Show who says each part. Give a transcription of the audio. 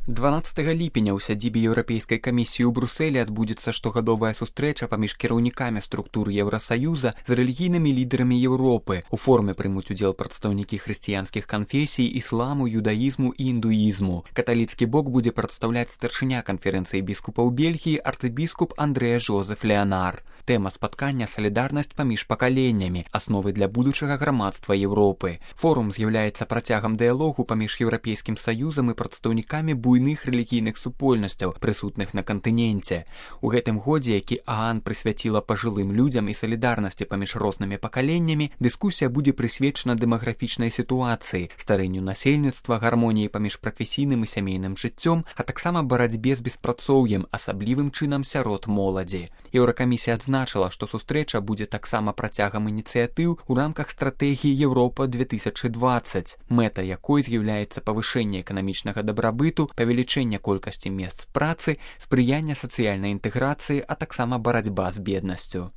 Speaker 1: 12 ліпеня ў сядзібе Еўрапейскай камісіі ў Брусэлі адбудзецца штогадовая сустрэча паміж кіраўнікамі структур Еўрасаюза з рэлігійнымі лідарамі Еўропы. У форуме прымуць удзел прадстаўнікі хрысціянскіх канфесій, ісламу, юдаізму і індуізму. Каталіцкі бок будзе прадстаўляць старшыня канферэнцыі біскупаў Бельгіі арцыбіскуп Андрэа Жозеф Леанар. Тэма спаткання «Салідарнасць паміж пакаленнямі. Асновы для будучага грамадства Еўропы». Форум з'яўляецца працягам дыялогу паміж Еўрапейскім саюзам і прадстаўнікамі буйных рэлігійных супольнасцяў, прысутных на кантыненце. У гэтым годзе, які ААН прысвяціла пажылым людзям і салідарнасці паміж рознымі пакаленнямі, дыскусія будзе прысвечана дэмаграфічнай сітуацыі, старэнню насельніцтва, гармоніі паміж прафесійным і сямейным жыццём, а таксама барацьбе з беспрацоўем, асаблівым чынам сярод моладзі. Еўракамісія адзначыла, што сустрэча будзе таксама працягам ініцыятыў у рамках стратэгіі Еўропа 2020, мэта якой з'яўляецца павышэнне эканамічнага дабрабыту, павелічэнне колькасці месц працы, спрыяння сацыяльнай інтэграцыі, а таксама барацьба з беднасцю.